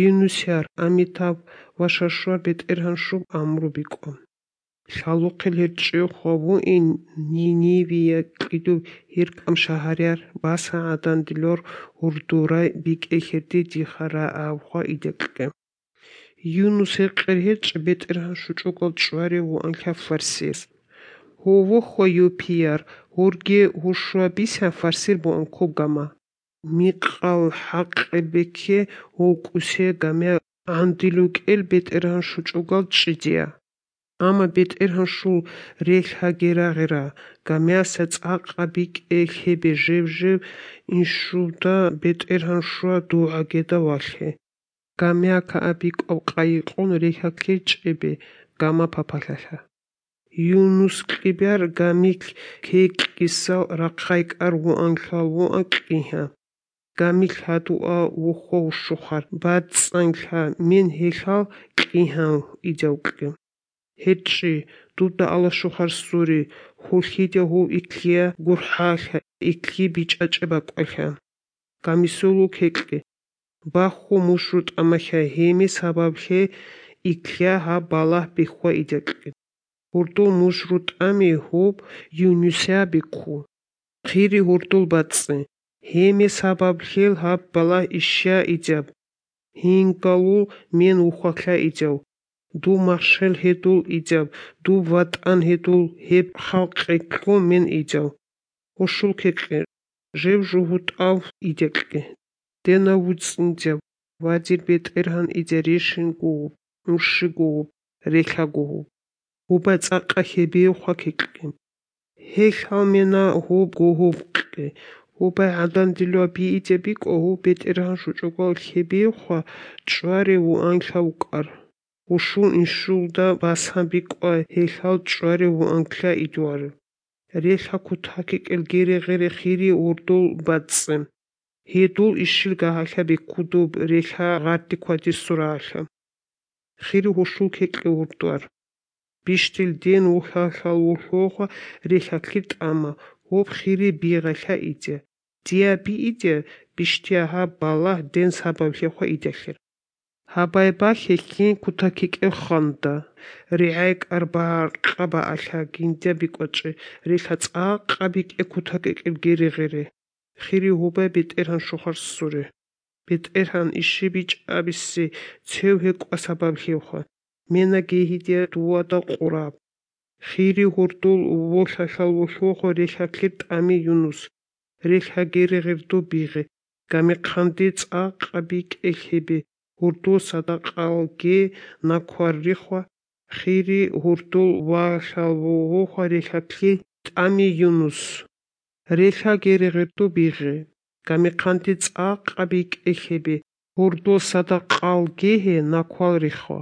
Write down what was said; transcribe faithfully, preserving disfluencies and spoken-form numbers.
იუნუსიარ ამითავ ვაშაშوار ბეტერჰანშუბ ამრუბიკო შალუყილ ჰერჭიო ხოვუ ინ ნინივია ყიდუ ჰირკამ შაჰარიარ ბასა ადანდილორ ურდურა ბიკე ჰერდი ჯიხარა ავხა იდეკკე იუნუს ეყერ ჰერჭ ბეტერჰანშუ ჭუკოლ ჭვარი ვუ ანქა ფარსის ჰოვუ ხო იუპიარ ურგე ჰუშუაბისა ფარსირ ბუ ანქო გამა მიყალ ჰაყებექე ოკუსე გამე ანდილუკელ ბეტერჰანშუ ჭუკოლ ჭიჯია ამა ბეტერჰანშუ რეჰაგერაღერა გამეასა წაყაბიკ ეხებე ჟევჟევ ინშუდა ბეტერჰანშუა დუაგედა ვალხე გამეაკა აბიკო ყაიყონ რეჰაქე ჭებე გამა ფაფალახა იუნუს ყიბარ გამიქ ქეკისა რაყაიკარ ვუ ანხალ ვუ აკიჰა გამიქ ჰატუა უხო შუხარ ბაცანხა მენ ჰეხალ ყიჰა იჯაუკე ჰეჭი დუდა ალა შუხარ სური ხულხიდე ჰუ იკლია გურჰახა იკლი ბიჭაჭება ყოხა გამისულუ ქეკე ბახუ მუშრუტ ამახა ჰემი საბაბხე იკლია ჰა ბალა ბიხვა იჯაკე ურდულ მუშრუტ ამი ჰუბ იუნუსია ბიქუ ხირი ურდულ ბაცე ჰემი საბაბხელ ჰა ბალა იშა იჯაბ ჰინგალუ მენ უხახა იჯავ დუ მახშელ ჰედულ იჯავ დუ ვატან ჰედულ ჰებ ხალყეკო მენ იჯავ უშულ ქეკე ჟევ ჟუჰუტავ იჯეკე დენა უცინჯავ ვაჯირ ბეტერჰან იჯერიშინ გუ უში გუ რექა გუ უბა წაყა ჰები ხაკეკე ჰეხალ მენა ჰუ გუ ჰუკე უბა ადანდილო ბი იჯები კო ბეტერჰან შუჭუკოლ ჰები ხა ჭვარი უ ანხა უკარ უშულ ინშულდა ბასაბიკო ჰეხალ ჭვარი უ ანხა იჯوار რეხა ქუთაკეკელ გერეღერე ხირი ურდულ ბაცე ჰედულ იშილ გაჰახები ქუდუ რეხა ღარტი ქვაჯი სურაახა ხირი უშულ ქეკე ურდوار ბიშტილ დენ უხახალ უხოხა რეხა ქიტამა უბ ხირი ბიღახა იჯე დიაბი იჯე ბიშტიაჰა ბალა დენ საბავხე ხა იჯახერ ჰაბაება ხეკინ ქუთაკეკე ხანდა რეაიკ არბა ყაბა ახა გინდა ბიკოჭე რეხა წაყაბიკე ქუთაკეკელ გერეღერე ხირი უბა ბეტერჰან შუხარ სურე ბეტერჰან იში ბიჭაბისი ცევჰე ყვასაბავხე ხა მენა გეჰიდია დუადა ყურა ხირი ჰურდულ უხახალ უხოხო რეხა ქიტამი იუნუს რეხა გერეღერდო ბიღე გამეყანდი წაყაბიკე ჰები ურდულ სადაყალგე ნაქვარი ხა ხირი ურდულ ვახალ უხო რეხა ქიტამი იუნუს რეხა გერეღერდო ბიღე გამეყანდი წაყაბიკე ჰები ურდულ სადაყალგე ნაქვარი ხა